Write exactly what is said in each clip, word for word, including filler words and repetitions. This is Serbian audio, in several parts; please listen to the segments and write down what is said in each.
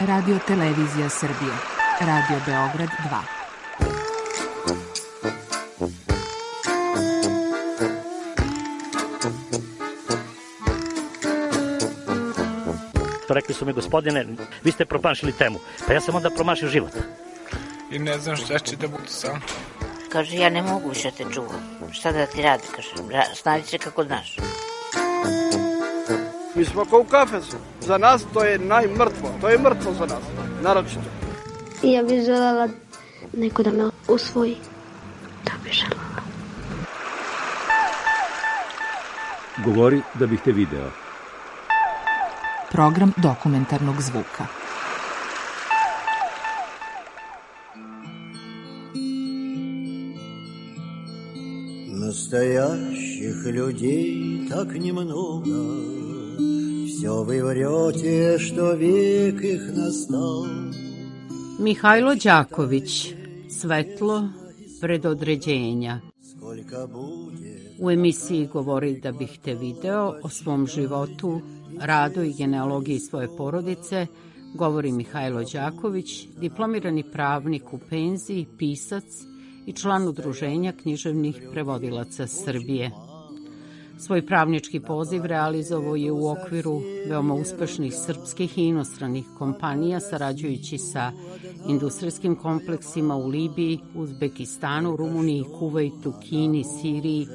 Radio Televizija Srbije, Radio Beograd dva. Rekli su mi, gospodine, vi ste promašili temu. Pa ja sam onda promašio život. I ne znam šta će da budu sam. Kaže, ja ne mogu više te čuvam. Šta da ti radi, kaže, snađi se kako znaš. Mi smo kao u kafesu. Za nas to je najmrtvo. To je mrtvo za nas, naročito. Ja bih želela neko da me usvoji. Da bih želela. Govori da bih te video. Program dokumentarnog zvuka. Настоящих людей так немного, все вы врете, что век их настал. Mihajlo Đaković, Svetlo predodređenja. U emisiji Govori da bih te video o svom životu, radu i genealogiji svoje porodice govori Mihajlo Đaković, diplomirani pravnik u penziji, pisac i član Udruženja književnih prevodilaca Srbije. Svoj pravnički poziv realizovao je u okviru veoma uspešnih srpskih i inostranih kompanija, sarađujući sa industrijskim kompleksima u Libiji, Uzbekistanu, Rumuniji, Kuvajtu, Kini, Siriji,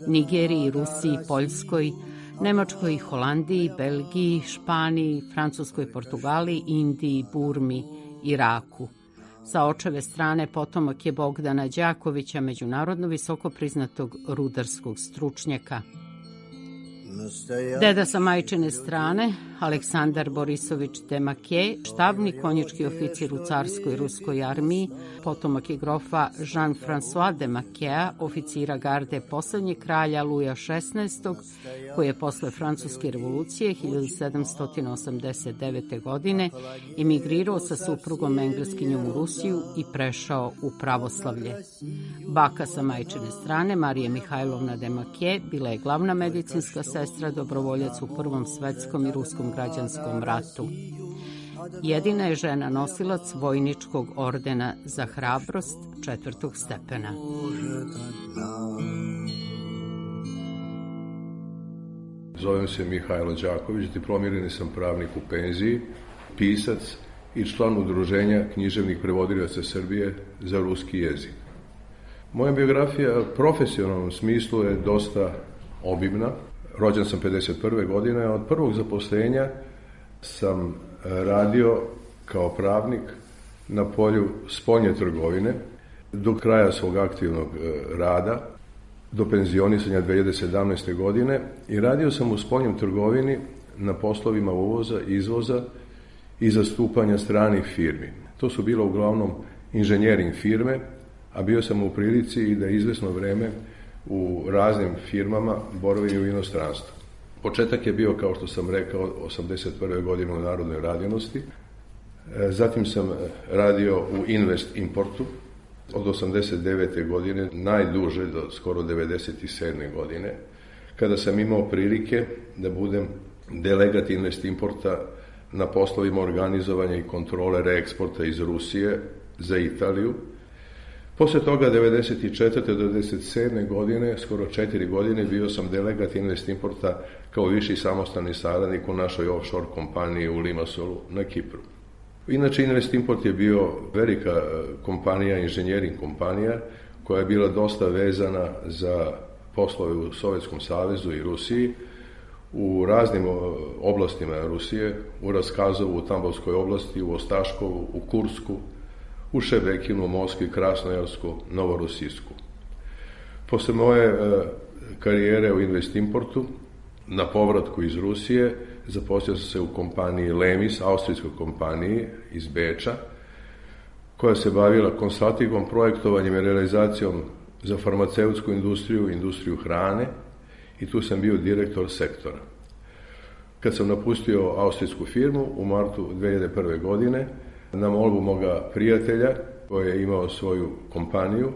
Nigeriji, Rusiji, Poljskoj, Nemačkoj, Holandiji, Belgiji, Španiji, Francuskoj, Portugaliji, Indiji, Burmi, Iraku. Sa očeve strane potomak je Bogdana Đakovića, međunarodno visoko priznatog rudarskog stručnjaka. Deda sa majčine strane, Aleksandar Borisović Demakje, štabni konjički oficir u carskoj ruskoj armiji, potomak je grofa Jean-François Demakjea, oficira garde poslednjeg kralja Luja šesnaestog, koji je posle Francuske revolucije hiljadu sedamsto osamdeset devete. godine emigrirao sa suprugom engleskinjom u Rusiju i prešao u pravoslavlje. Baka sa majčine strane, Marija Mihajlovna Demakje, bila je glavna medicinska sestra, dobrovoljac u Prvom svetskom i ruskom građanskom ratu. Jedina je žena nosilac vojničkog ordena za hrabrost četvrtog stepena. Zovem se Mihajlo Đaković, diplomirani sam pravnik u penziji, pisac i član Udruženja književnih prevodilaca Srbije za ruski jezik. Moja biografija u profesionalnom smislu je dosta obimna. Rođen sam pedeset prve. godine, a od prvog zaposlenja sam radio kao pravnik na polju spoljne trgovine do kraja svog aktivnog rada, do penzionisanja dve hiljade sedamnaeste. godine i radio sam u spoljnoj trgovini na poslovima uvoza, izvoza i zastupanja stranih firmi. To su bilo uglavnom inženjering firme, a bio sam u prilici i da izvesno vreme u raznim firmama boravim u inostranstvu. Početak je bio, kao što sam rekao, osamdeset prve. godine u Narodnoj radinosti. Zatim sam radio u Invest Importu od osamdeset devete. godine, najduže do skoro devedeset sedme. godine, kada sam imao prilike da budem delegat Invest Importa na poslovima organizovanja i kontrole reeksporta iz Rusije za Italiju. Posle toga, devedeset četvrte. do devedeset sedme. godine, skoro četiri godine, bio sam delegat Invest Importa kao viši samostalni saradnik u našoj offshore kompaniji u Limassolu na Kipru. Inače, Invest Import je bio velika kompanija, inženjering kompanija, koja je bila dosta vezana za poslove u Sovjetskom savezu i Rusiji, u raznim oblastima Rusije, u Raskazovu, u Tambovskoj oblasti, u Ostaškovu, u Kursku, u Šebekinu, Moskvi, Krasnojarsku, Novorosijsku. Posle moje e, karijere u Invest Importu, na povratku iz Rusije, zaposlio sam se u kompaniji Lemis, austrijskoj kompaniji iz Beča, koja se bavila konsultingom, projektovanjem i realizacijom za farmaceutsku industriju, industriju hrane, i tu sam bio direktor sektora. Kad sam napustio austrijsku firmu u martu dve hiljade prve. godine, na molbu moga prijatelja koji je imao svoju kompaniju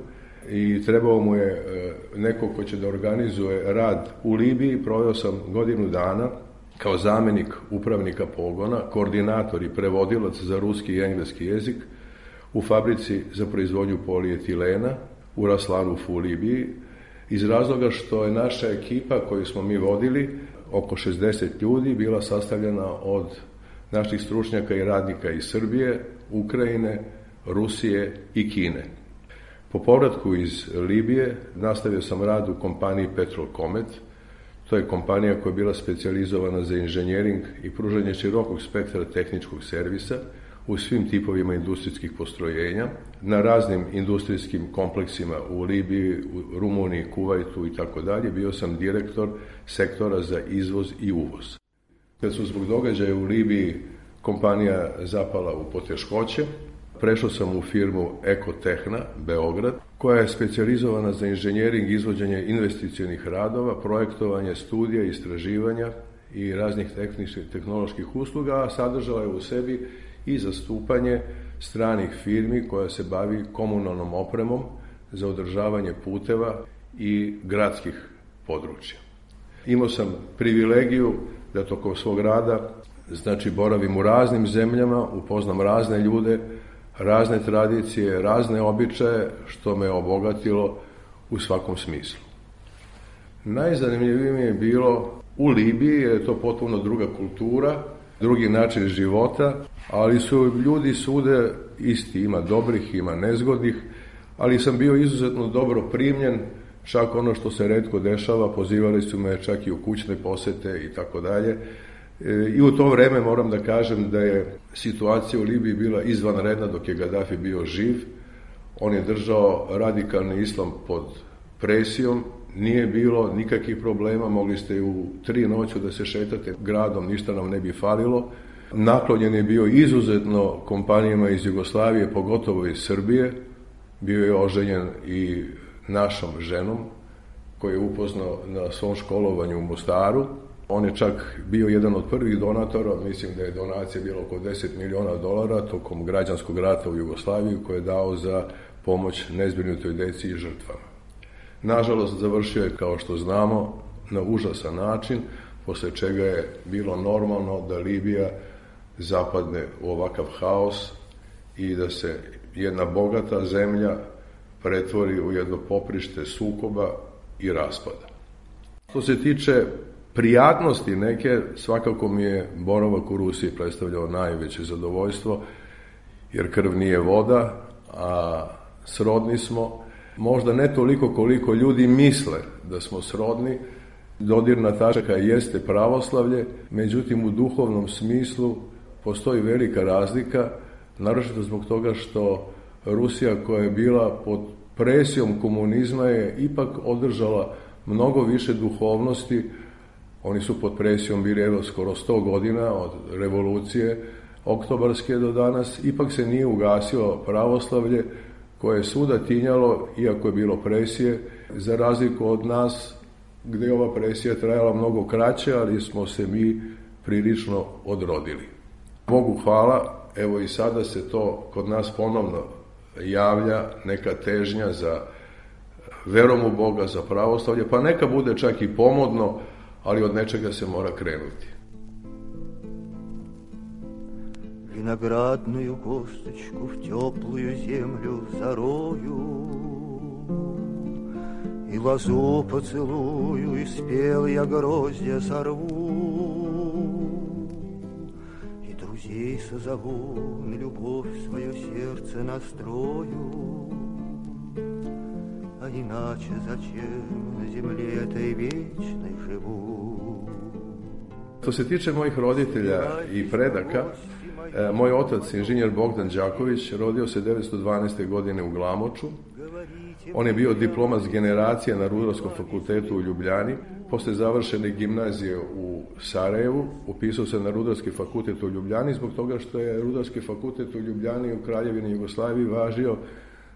i trebao mu je neko ko će da organizuje rad u Libiji, proveo sam godinu dana kao zamjenik upravnika pogona, koordinator i prevodilac za ruski i engleski jezik u fabrici za proizvodnju polietilena u Raslanufu u Libiji, iz razloga što je naša ekipa koju smo mi vodili, oko šezdeset ljudi, bila sastavljena od naših stručnjaka i radnika iz Srbije, Ukrajine, Rusije i Kine. Po povratku iz Libije nastavio sam rad u kompaniji Petrolcomet. To je kompanija koja je bila specijalizovana za inženjering i pružanje širokog spektra tehničkog servisa u svim tipovima industrijskih postrojenja, na raznim industrijskim kompleksima u Libiji, u Rumuniji, Kuvajtu i tako dalje. Bio sam direktor sektora za izvoz i uvoz. Kad su zbog događaja u Libiji kompanija zapala u poteškoće, prešao sam u firmu Ekotehna, Beograd, koja je specijalizovana za inženjering, izvođenje investicionih radova, projektovanje, studija, istraživanja i raznih tehničkih tehnoloških usluga, a sadržala je u sebi i zastupanje stranih firmi koja se bavi komunalnom opremom za održavanje puteva i gradskih područja. Imao sam privilegiju da tokom svog rada, znači, boravim u raznim zemljama, upoznam razne ljude, razne tradicije, razne običaje, što me obogatilo u svakom smislu. Najzanimljivije mi je bilo u Libiji, jer je to potpuno druga kultura, drugi način života, ali su ljudi svude isti, ima dobrih, ima nezgodnih, ali sam bio izuzetno dobro primljen, čak ono što se retko dešava, pozivali su me čak i u kućne posete i tako dalje. I u to vreme moram da kažem da je situacija u Libiji bila izvanredna dok je Gaddafi bio živ. On je držao radikalni islam pod presijom, nije bilo nikakvih problema, mogli ste u tri noću da se šetate gradom, ništa nam ne bi falilo. Naklonjen je bio izuzetno kompanijama iz Jugoslavije, pogotovo iz Srbije. Bio je oženjen i našom ženom koju je upoznao na svom školovanju u Mostaru. On je čak bio jedan od prvih donatora, mislim da je donacija bila oko deset miliona dolara tokom građanskog rata u Jugoslaviji, koje je dao za pomoć nezbrinutoj deci i žrtvama. Nažalost, završio je, kao što znamo, na užasan način, posle čega je bilo normalno da Libija zapadne u ovakav haos i da se jedna bogata zemlja pretvori u jedno poprište sukoba i raspada. Što se tiče prijatnosti neke, svakako mi je boravak u Rusiji predstavljao najveće zadovoljstvo, jer krv nije voda, a srodni smo. Možda ne toliko koliko ljudi misle da smo srodni. Dodirna tačka jeste pravoslavlje, međutim u duhovnom smislu postoji velika razlika, naročito zbog toga što Rusija, koja je bila pod presijom komunizma, je ipak održala mnogo više duhovnosti. Oni su pod presijom bili evo skoro sto godina od revolucije oktobarske do danas. Ipak se nije ugasilo pravoslavlje koje je svuda tinjalo, iako je bilo presije, za razliku od nas gde je ova presija trajala mnogo kraće, ali smo se mi prilično odrodili. Bogu hvala, evo i sada se to kod nas ponovno javlja, neka težnja za verom u Boga, za pravoslavlje, pa neka bude čak i pomodno, ali od nečega se mora krenuti. Виноградную косточку в теплую землю зарою, и лозу поцелую, и спелые гроздья сорву, и друзей созову, на любовь свое сердце настрою, а иначе зачем на земле этой вечной живу? Što se tiče mojih roditelja i predaka, moj otac, inženjer Bogdan Đaković, rodio se devetsto dvanaeste. godine u Glamoču. On je bio diplomac generacije na Rudarskom fakultetu u Ljubljani. Posle završene gimnazije u Sarajevu upisao se na Rudarski fakultet u Ljubljani, zbog toga što je Rudarski fakultet u Ljubljani u Kraljevini Jugoslaviji važio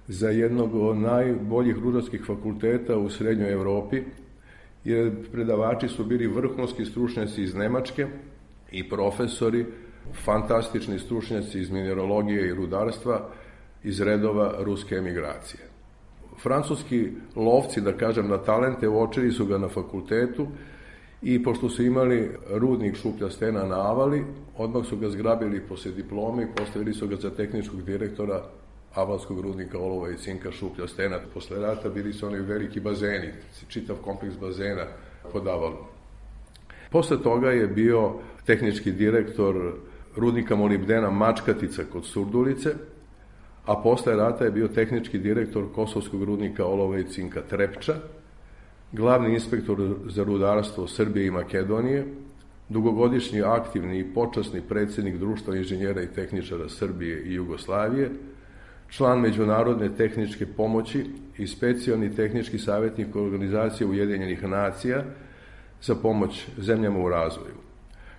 za jednog od najboljih rudarskih fakulteta u srednjoj Evropi, jer predavači su bili vrhunski stručnjaci iz Nemačke i profesori, fantastični stručnjaci iz mineralogije i rudarstva iz redova ruske emigracije. Francuski lovci, da kažem, na talente uočili su ga na fakultetu i pošto su imali rudnik Šuplja stena na Avali, odmah su ga zgrabili posle diplome i postavili su ga za tehničkog direktora avalskog rudnika olova i cinka Šuplja stena. Posle rata bili su oni veliki bazeni, čitav kompleks bazena pod Avalom. Posle toga je bio tehnički direktor rudnika molibdena Mačkatica kod Surdulice, a posle rata je bio tehnički direktor kosovskog rudnika olova i cinka Trepča, glavni inspektor za rudarstvo Srbije i Makedonije, dugogodišnji aktivni i počasni predsjednik Društva inženjera i tehničara Srbije i Jugoslavije, član Međunarodne tehničke pomoći i specijalni tehnički savjetnik Organizacije Ujedinjenih nacija za pomoć zemljama u razvoju.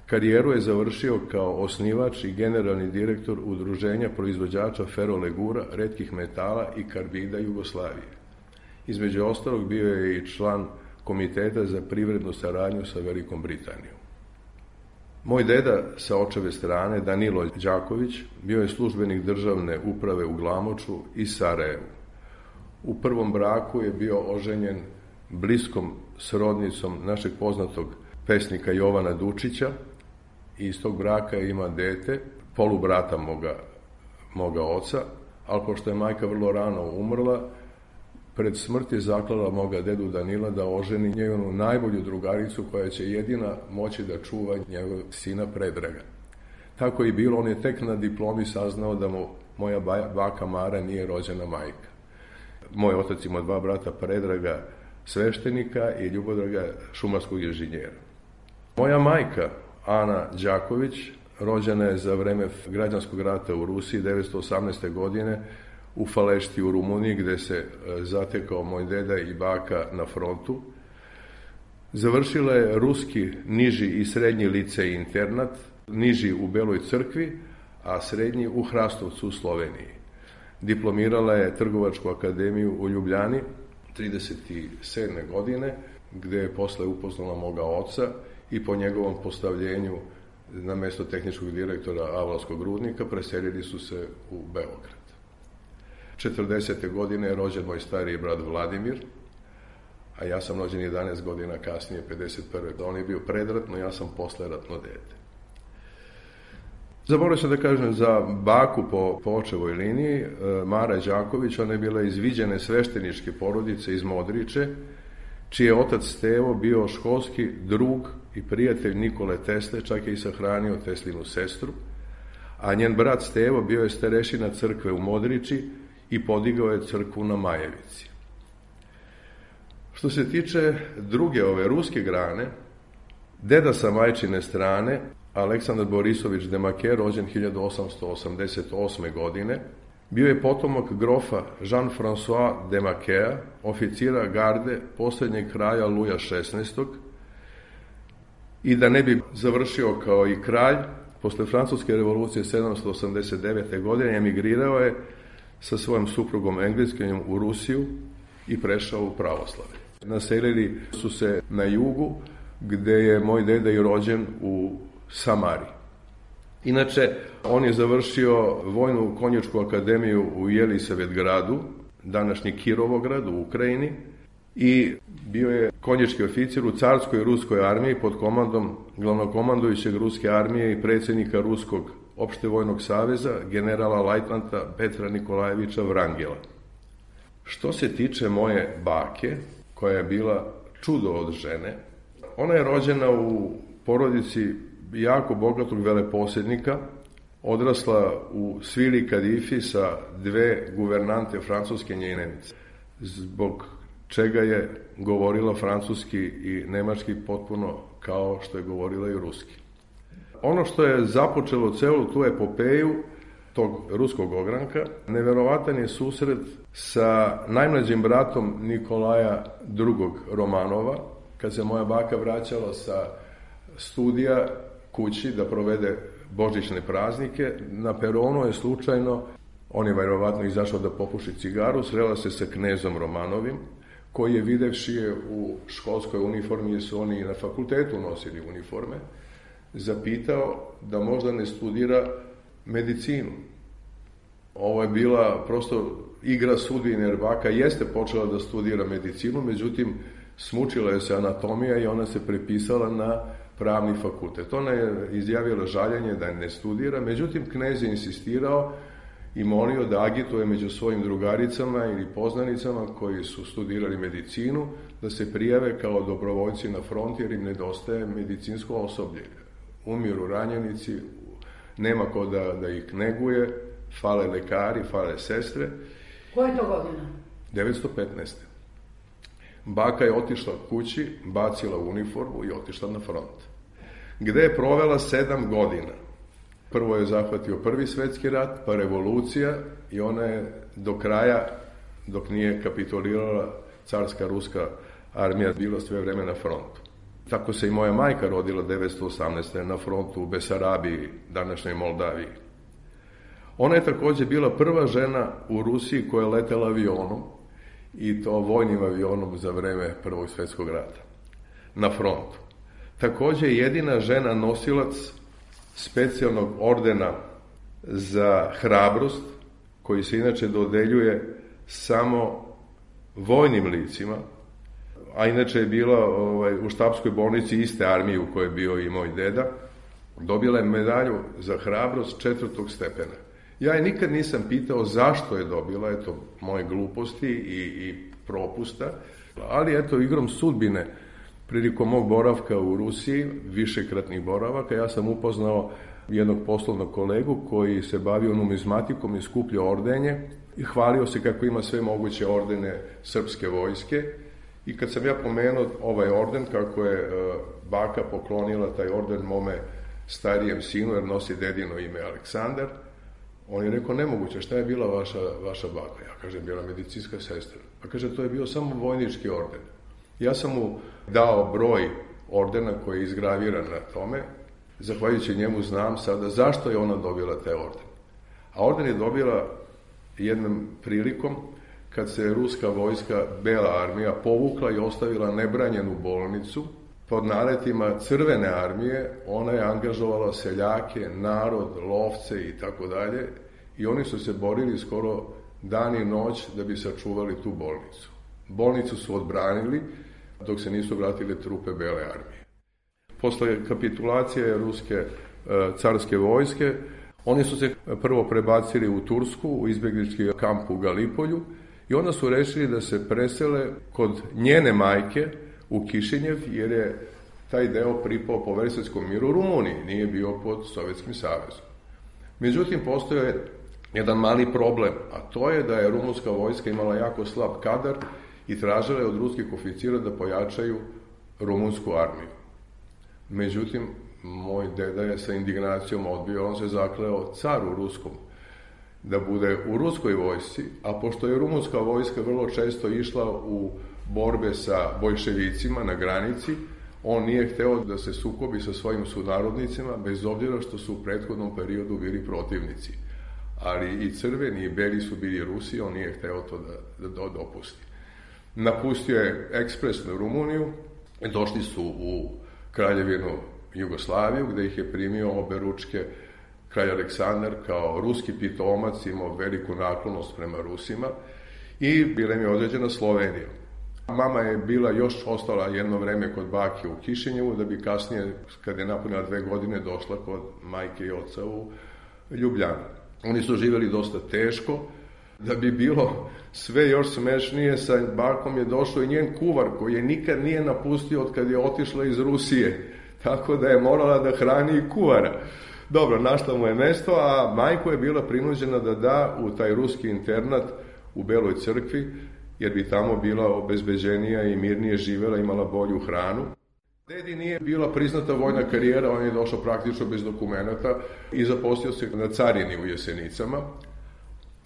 Karijeru je završio kao osnivač i generalni direktor Udruženja proizvođača ferolegura, retkih metala i karbida Jugoslavije. Između ostalog bio je i član Komiteta za privrednu saradnju sa Velikom Britanijom. Moj deda sa očeve strane, Danilo Đaković, bio je službenik državne uprave u Glamoču i Sarajevu. U prvom braku je bio oženjen bliskom srodnicom našeg poznatog pesnika Jovana Dučića i iz tog braka ima dete, polubrata moga, moga oca, ali pošto je majka vrlo rano umrla, pred smrt je zaklala moga dedu Danila da oženi njegonu najbolju drugaricu koja će jedina moći da čuva njegovog sina Predraga. Tako i bilo, on je tek na diplomi saznao da mu moja baka Mara nije rođena majka. Moj otac ima dva brata, Predraga sveštenika i Ljubodraga šumarskog inženjera. Moja majka, Ana Đaković, rođena je za vreme građanskog rata u Rusiji devetsto osamnaeste. godine u Falešti u Rumuniji, gde se zatekao moj deda i baka na frontu. Završila je ruski niži i srednji licej internat, niži u Beloj crkvi, a srednji u Hrastovcu u Sloveniji. Diplomirala je Trgovačku akademiju u Ljubljani trideset sedme. godine, gde je posle upoznala moga oca i po njegovom postavljenju na mesto tehničkog direktora Avalskog rudnika preselili su se u Beograd. četrdesete. godine je rođen moj stariji brat Vladimir, a ja sam rođen jedanaest godina kasnije, pedeset prve. On je bio predratno, ja sam posleratno dete. Zaboravio sam da kažem za baku po, po očevoj liniji, Mara Đaković, ona je bila iz viđene svešteničke porodice iz Modriče, čiji je otac Stevo bio školski drug i prijatelj Nikole Tesle, čak je i sahranio Teslinu sestru, a njen brat Stevo bio je starešina crkve u Modriči i podigao je crkvu na Majevici. Što se tiče druge ove ruske grane, deda sa majčine strane, Aleksandar Borisović Demake, rođen hiljadu osamsto osamdeset osme. godine, bio je potomak grofa Jean-François Demakea, oficira garde posljednjeg kraja Luja šesnaestog. I da ne bi završio kao i kralj, posle Francuske revolucije sedamsto osamdeset devete. godine emigrirao je sa svojom suprugom Engleskinjom u Rusiju i prešao u pravoslavlje. Naselili su se na jugu, gde je moj deda i rođen u Samari. Inače, on je završio Vojnu konjičku akademiju u Jelisavetgradu, današnji Kirovograd u Ukrajini, i bio je konjički oficir u carskoj ruskoj armiji pod komandom glavnokomandujućeg ruske armije i predsjednika Ruskog opštevojnog saveza, generala lajtnanta Petra Nikolajevića Vrangela. Što se tiče moje bake, koja je bila čudo od žene, ona je rođena u porodici jako bogatog veleposjednika, odrasla u svili kadifi sa dve guvernante francuske njenice, zbog čega je govorila francuski i nemački potpuno kao što je govorila i ruski. Ono što je započelo celu tu epopeju tog ruskog ogranka, neverovatan je susret sa najmlađim bratom Nikolaja drugog. Romanova, kad se moja baka vraćala sa studija kući da provede božićne praznike. Na peronu je slučajno, on je verovatno izašao da popuši cigaru, srela se sa knezom Romanovim, koji je videvši je u školskoj uniformi, jer su oni na fakultetu nosili uniforme, zapitao da možda ne studira medicinu. Ovo je bila prosto igra sudbine, jer baka jeste počela da studira medicinu, međutim, Smučila je se anatomija i ona se prepisala na pravni fakultet. Ona je izjavila žaljenje da ne studira, međutim knez je insistirao i molio da agituje među svojim drugaricama ili poznanicama koji su studirali medicinu, da se prijave kao dobrovoljci na front jer im nedostaje medicinsko osoblje. Umiru ranjenici, nema ko da, da ih neguje, fale lekari, fale sestre. Koje to godina? devetsto petnaeste. Baka je otišla kući, bacila uniformu i otišla na front. Gde je provela sedam godina. Prvo je zahvatio prvi svetski rat, pa revolucija i ona je do kraja, dok nije kapitulirala carska ruska armija, bila sve vreme na frontu. Tako se i moja majka rodila devetsto osamnaeste. na frontu u Besarabiji, današnjoj Moldaviji. Ona je takođe bila prva žena u Rusiji koja je letela avionom, i to vojnim avionom za vreme Prvog svetskog rata, na frontu. Takođe je jedina žena nosilac specijalnog ordena za hrabrost, koji se inače dodeljuje samo vojnim licima, a inače je bila ovaj, u štabskoj bolnici iste armije u kojoj je bio i moj deda, dobila je medalju za hrabrost četvrtog stepena. Ja je nikad nisam pitao zašto je dobila, eto, moje gluposti i, i propusta, ali eto, igrom sudbine, prilikom mog boravka u Rusiji, višekratnih boravaka, ja sam upoznao jednog poslovnog kolegu koji se bavio numizmatikom i skupljao ordenje i hvalio se kako ima sve moguće ordene srpske vojske. I kad sam ja pomenuo ovaj orden, kako je uh, baka poklonila taj orden mome starijem sinu, jer nosi dedino ime Aleksandar, on je rekao, nemoguće, šta je bila vaša, vaša baka? Ja kažem, bila medicinska sestra. Pa kaže, to je bio samo vojnički orden. Ja sam mu dao broj ordena koji je izgraviran na tome, zahvaljujući njemu znam sada zašto je ona dobila te orden. A orden je dobila jednom prilikom kad se ruska vojska, Bela armija, povukla i ostavila nebranjenu bolnicu. Pod naletima Crvene armije ona je angažovala seljake, narod, lovce i tako dalje, i oni su se borili skoro dan i noć da bi sačuvali tu bolnicu. Bolnicu su odbranili dok se nisu vratile trupe Bele armije. Posle kapitulacije ruske carske vojske, oni su se prvo prebacili u Tursku, u izbjeglički kamp u Galipolju, i onda su rešili da se presele kod njene majke u Kišinjev, jer je taj deo pripao po Versajskom miru Rumuniji, nije bio pod Sovjetskim savezom. Međutim, postoje jedan mali problem, a to je da je rumunska vojska imala jako slab kadar i tražila je od ruskih oficira da pojačaju rumunsku armiju. Međutim, moj deda je sa indignacijom odbio, on se zakleo caru ruskom da bude u ruskoj vojsci, a pošto je rumunska vojska vrlo često išla u borbe sa bojševicima na granici, on nije hteo da se sukobi sa svojim sunarodnicima, bez obzira što su u prethodnom periodu bili protivnici. Ali i crveni i beli su bili Rusi, on nije hteo to da, da dopusti. Napustio je ekspresno Rumuniju, došli su u Kraljevinu Jugoslaviju, gde ih je primio oberučke kralj Aleksandar kao ruski pitomac, imao veliku naklonost prema Rusima, i bila im je određena Slovenija. Mama je bila još ostala jedno vreme kod bake u Kišinjevu, da bi kasnije, kad je napunila dve godine, došla kod majke i oca u Ljubljanu. Oni su živjeli dosta teško. Da bi bilo sve još smešnije, sa bakom je došao i njen kuvar, koji je nikad nije napustio od kad je otišla iz Rusije, tako da je morala da hrani i kuvara. Dobro, našla mu je mesto, a majko je bila prinuđena da da u taj ruski internat u Beloj crkvi, jer bi tamo bila obezbeđenija i mirnije živela, imala bolju hranu. Dedi nije bila priznata vojna karijera, on je došao praktično bez dokumenta i zaposlio se na carini u Jesenicama,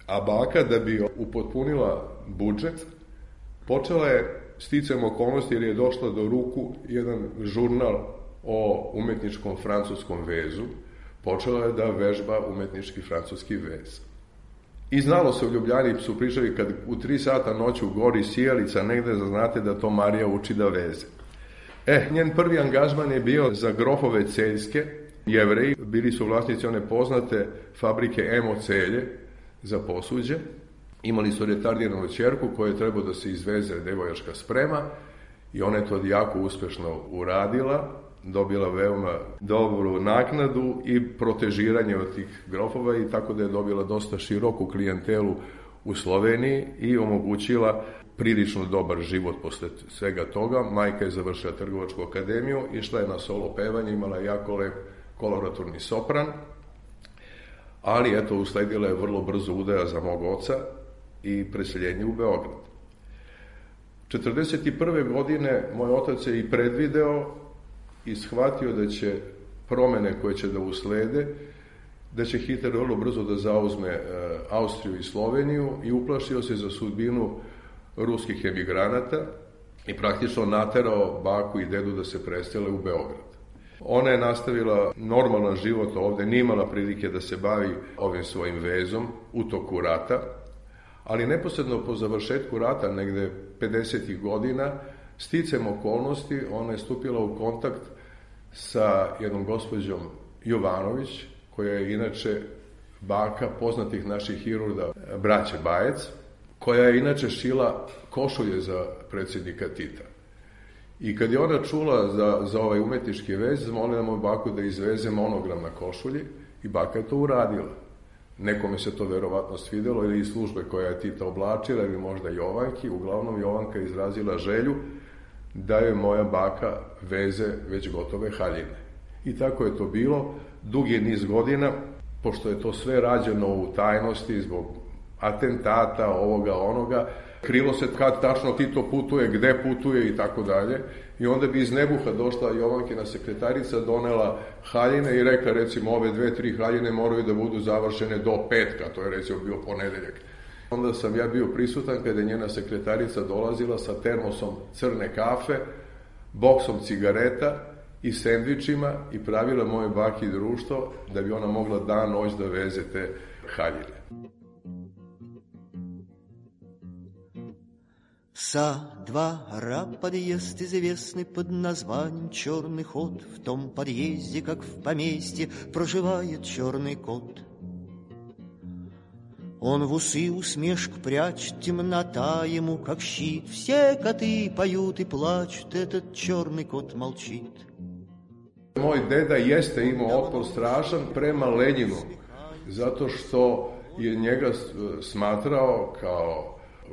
a baka, da bi upotpunila budžet, počela je sticajem okolnosti, jer je došla do ruku jedan žurnal o umetničkom francuskom vezu, počela je da vežba umetnički francuski vez. I znalo se u Ljubljani, su pričali, kad u tri sata noću gori sijalica negde, znate da to Marija uči da veze. E, njen prvi angažman je bio za grofove Celjske, Jevreji, bili su vlasnici one poznate fabrike Emo Celje za posuđe, imali su retardiranu ćerku koja je trebao da se izveze devojačka sprema, i ona je to jako uspešno uradila, dobila veoma dobru naknadu i protežiranje od tih grofova i tako da je dobila dosta široku klijentelu u Sloveniji i omogućila prilično dobar život posle svega toga. Majka je završila Trgovačku akademiju, išla je na solo pevanje, imala jako lep koloraturni sopran, ali eto, usledila je vrlo brzo udaja za mog oca i preseljenje u Beograd. četrdeset prve godine moj otac je i predvideo i shvatio da će promene koje će da uslede, da će Hitler vrlo brzo da zauzme Austriju i Sloveniju i uplašio se za sudbinu ruskih emigranata i praktično naterao baku i dedu da se presele u Beograd. Ona je nastavila normalan život ovde, nije imala prilike da se bavi ovim svojim vezom u toku rata, ali neposredno po završetku rata, negde pedesetih godina, sticem okolnosti, ona je stupila u kontakt sa jednom gospođom Jovanović, koja je inače baka poznatih naših hirurda, braće Bajec, koja je inače šila košulje za predsjednika Tita. I kad je ona čula za, za ovaj umetnički vez, zamolila moju baku da izveze monogram na košulji i baka je to uradila. Nekome se to verovatno svidelo ili iz službe koja je Tita oblačila ili možda Jovanki. Uglavnom Jovanka je izrazila želju da je moja baka veze već gotove haljine. I tako je to bilo dugi niz godina, pošto je to sve rađeno u tajnosti zbog atentata, ovoga, onoga, krilo se kad tačno Tito putuje, gde putuje i tako dalje. I onda bi iz nebuha došla Jovankina sekretarica, donela haljine i rekla, recimo, ove dve, tri haljine moraju da budu završene do petka, to je recimo bio ponedeljak. Onda sam ja bio prisutan kada je njena sekretarica dolazila sa termosom crne kafe, boksom cigareta i sendvičima i pravila moje baki društvo da bi ona mogla dan noć da veze te haljine. Са два ра подъезд известный под названием «Черный ход». В том подъезде, как в поместье, проживает черный кот. Он в усы усмешку прячет, темнота ему как щит. Все коты поют и плачут, этот черный кот молчит. Moj deda jeste imao otpor strašan prema Lenjinu, zato što je njega smatrao kao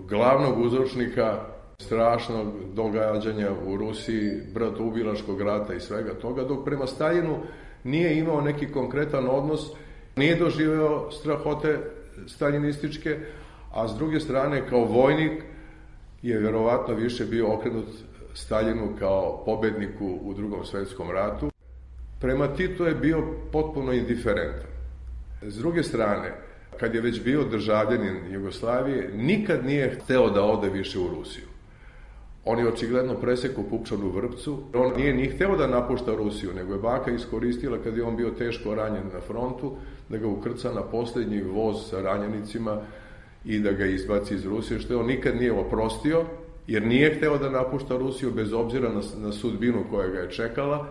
glavnog uzročnika strašnog događanja u Rusiji, bratoubilačkog rata i svega toga, dok prema Staljinu nije imao neki konkretan odnos, nije doživeo strahote staljinističke, a s druge strane kao vojnik je verovatno više bio okrenut Staljinu kao pobedniku u Drugom svetskom ratu. Prema Titu je bio potpuno indiferentan. S druge strane, kad je već bio državljanin Jugoslavije, nikad nije hteo da ode više u Rusiju. On je očigledno presekao pupčanu vrpcu. On nije ni hteo da napušta Rusiju, nego je baka iskoristila kad je on bio teško ranjen na frontu, da ga ukrca na poslednji voz sa ranjenicima i da ga izbaci iz Rusije, što je on nikad nije oprostio, jer nije hteo da napušta Rusiju bez obzira na, na sudbinu koja ga je čekala,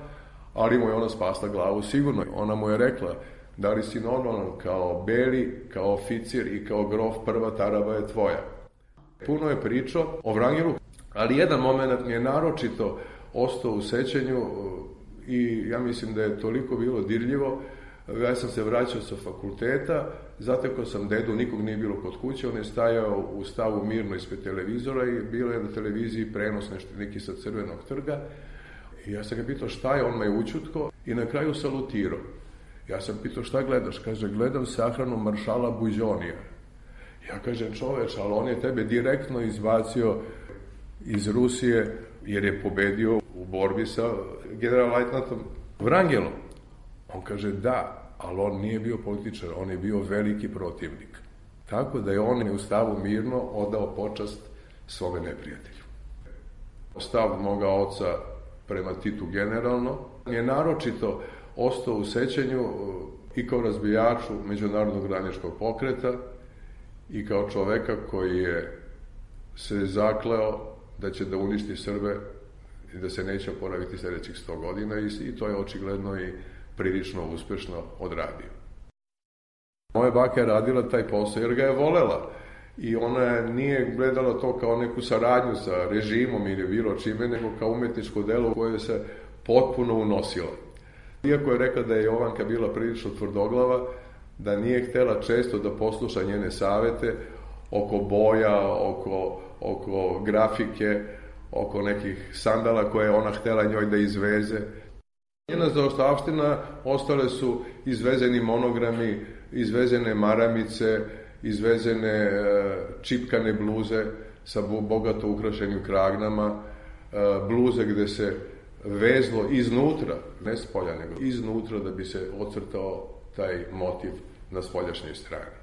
ali mu je ona spasla glavu sigurno. Ona mu je rekla, da li si normalan, kao beli, kao oficir i kao grof, prva taraba je tvoja. Puno je pričao o Vrangilu, ali jedan moment mi je naročito ostao u sećanju i ja mislim da je toliko bilo dirljivo. Ja sam se vraćao sa fakulteta, zatekao sam dedu, nikog nije bilo kod kuće, on je stajao u stavu mirno ispred televizora i bilo je na televiziji prenos nešto neki sa Crvenog trga. I ja sam ga pitao šta je, on me je učutko i na kraju salutirao. Ja sam pitao šta gledaš, kaže gledam sahranu maršala Buđonija. Ja kažem čoveč, ali on je tebe direktno izbacio iz Rusije jer je pobedio u borbi sa general-lajtnatom Vrangelom. On kaže da, ali on nije bio političar, on je bio veliki protivnik. Tako da je on u stavu mirno odao počast svome neprijatelju. Stav moga oca prema Titu generalno je naročito ostao u sećanju i kao razbijaču međunarodnog radničkog pokreta i kao čoveka koji je se zakleo da će da uništi Srbe i da se neće oporaviti sledećih sto godina i to je očigledno i prilično uspešno odradio. Moja baka je radila taj posao jer ga je volela i ona nije gledala to kao neku saradnju sa režimom ili bilo čime, nego kao umetničko delo koje se potpuno unosila. Iako je rekla da je Jovanka bila prilično tvrdoglava, da nije htela često da posluša njene savete oko boja, oko, oko grafike, oko nekih sandala koje je ona htela njoj da izveze. Njena zaostavština ostale su izvezeni monogrami, izvezene maramice, izvezene čipkane bluze sa bogato ukrašenim kragnama, bluze gde se vezlo iznutra, ne s polja, nego iznutra da bi se ocrtao taj motiv na spoljašnjoj strani.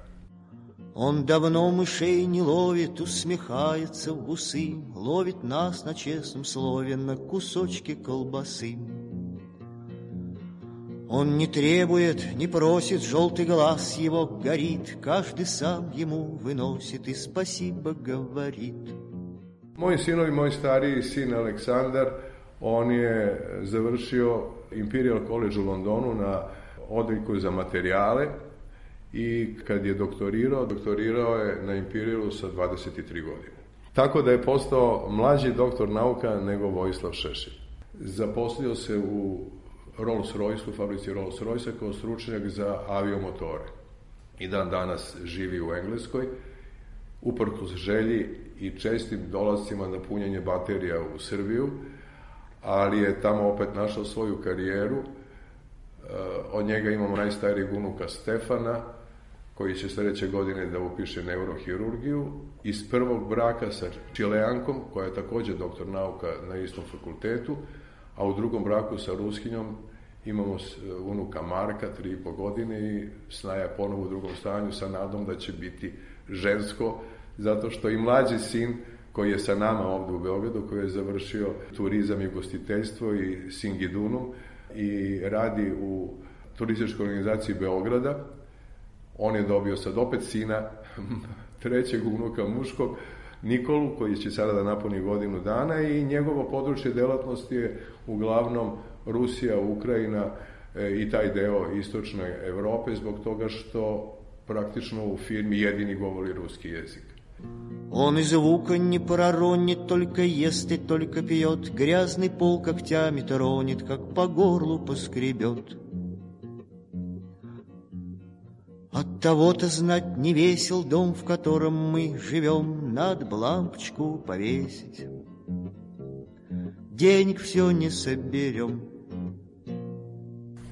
Он давно мышей не ловит, усмехается в усы, ловит нас на честном слове на кусочки колбасы. Он не требует, не просит, желтый глаз его горит, каждый сам ему выносит и спасибо говорит. Moji sinovi, moj stariji sin Aleksandar, on je završio Imperial College u Londonu na odeljku za materijale i kad je doktorirao, doktorirao je na Imperialu sa dvadeset tri godine. Tako da je postao mlađi doktor nauka nego Vojislav Šešelj. Zaposlio se u Rolls-Royce, u fabrici Rolls-Royce kao stručnjak za aviomotore. I dan danas živi u Engleskoj, uprkos želji i čestim dolazcima na punjenje baterija u Srbiju, ali je tamo opet našao svoju karijeru. Od njega imamo najstarijeg unuka Stefana, koji će sledeće godine da upiše neurohirurgiju, iz prvog braka sa Čileankom, koja je takođe doktor nauka na istom fakultetu, a u drugom braku sa Ruskinjom imamo unuka Marka, tri i po godine, i snaja ponovo u drugom stanju sa nadom da će biti žensko, zato što i mlađi sin koji je sa nama ovde u Beogradu, koji je završio turizam i gostiteljstvo i Singidunum i radi u turističkoj organizaciji Beograda, on je dobio sad opet sina, trećeg unuka muškog, Nikolu, koji će sada da napuni godinu dana, i njegovo područje delatnosti je uglavnom Rusija, Ukrajina e, i taj deo istočne Evrope, zbog toga što praktično u firmi jedini govori ruski jezik. Он и звука не проронит, только ест и только пьет, грязный пол когтями тронет, как по горлу поскребет. От того-то знать не весел дом, в котором мы живем, надо б лампочку повесить. Денег все не соберем.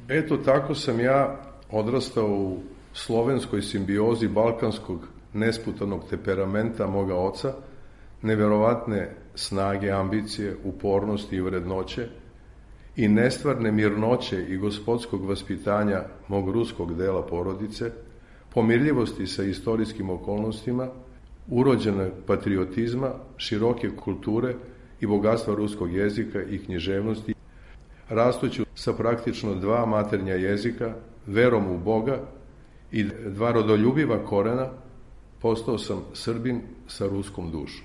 Eto, tako sam ja odrastao u slovenskoj simbiozi balkanskog nesputanog temperamenta moga oca, neverovatne snage, ambicije, upornosti i vrednoće i nestvarne mirnoće i gospodskog vaspitanja mog ruskog dela porodice, pomirljivosti sa istorijskim okolnostima, urođenog patriotizma, široke kulture i bogatstva ruskog jezika i književnosti, rastuću sa praktično dva maternja jezika, verom u Boga i dva rodoljubiva korena, postao sam Srbin sa ruskom dušom.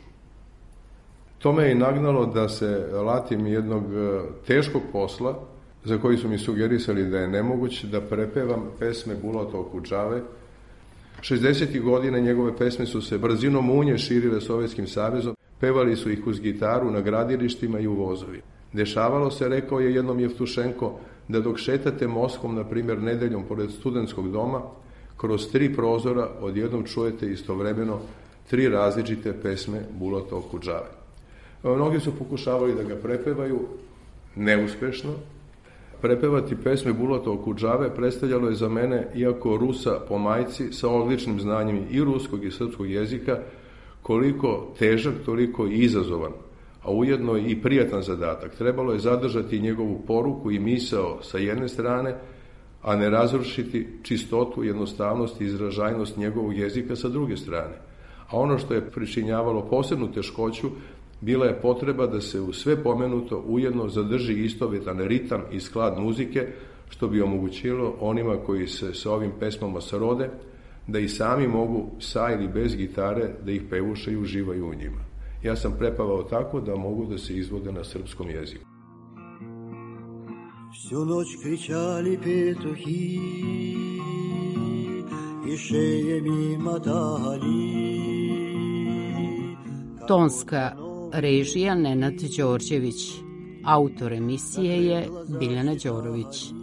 To me je i nagnalo da se latim jednog teškog posla, za koji su mi sugerisali da je nemoguće, da prepevam pesme Bulata Okudžave. šezdesetih godina njegove pesme su se brzinom munje širile Sovjetskim savezom, pevali su ih uz gitaru na gradilištima i u vozovi. Dešavalo se, rekao je jednom Jevtušenko, da dok šetate Moskvom, na primjer nedeljom pored studentskog doma, kroz tri prozora odjednom čujete istovremeno tri različite pesme Bulata Okudžave. Mnogi su pokušavali da ga prepevaju, neuspešno. Prepevati pesme Bulata Okudžave predstavljalo je za mene, iako Rusa po majci, sa odličnim znanjem i ruskog i srpskog jezika, koliko težak, toliko i izazovan, a ujedno i prijatan zadatak. Trebalo je zadržati njegovu poruku i misao sa jedne strane, a ne razrušiti čistotu, jednostavnost i izražajnost njegovog jezika sa druge strane. A ono što je pričinjavalo posebnu teškoću, bila je potreba da se u sve pomenuto ujedno zadrži istovjetan ritam i sklad muzike, što bi omogućilo onima koji se sa ovim pesmama srode, da i sami mogu sa ili bez gitare da ih pevuše i uživaju u njima. Ja sam prepavao tako da mogu da se izvode na srpskom jeziku. Всю ночь кричали петухи и шеями мотали, Tonska režija Nenad Đorđević. Autor emisije je Biljana Đorović.